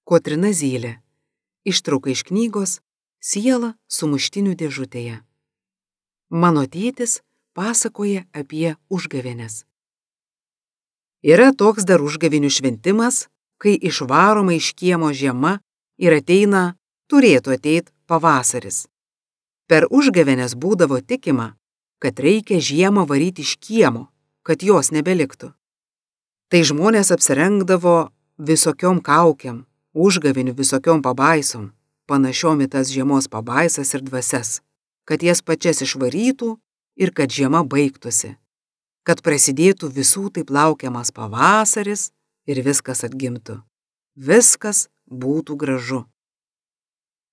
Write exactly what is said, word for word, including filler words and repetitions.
Kotryna Zylė. Ištrauka iš knygos Siela sumuštinių dėžutėje. Mano tėtis pasakoja apie užgavėnes. Yra toks dar užgavėnių šventimas, kai išvaroma iš kiemo žiema ir ateina, turėtų ateit pavasaris. Per užgavėnes būdavo tikima, kad reikia žiemą varyti iš kiemo, kad jos nebeliktų. Tai žmonės apsirengdavo visokiom kaukiam, užgavėnių visokiom pabaisom, panašiom į tas žiemos pabaisas ir dvasias, kad jas pačias išvarytų ir kad žiema baigtųsi, kad prasidėtų visų taip laukiamas pavasaris ir viskas atgimtų. Viskas būtų gražu.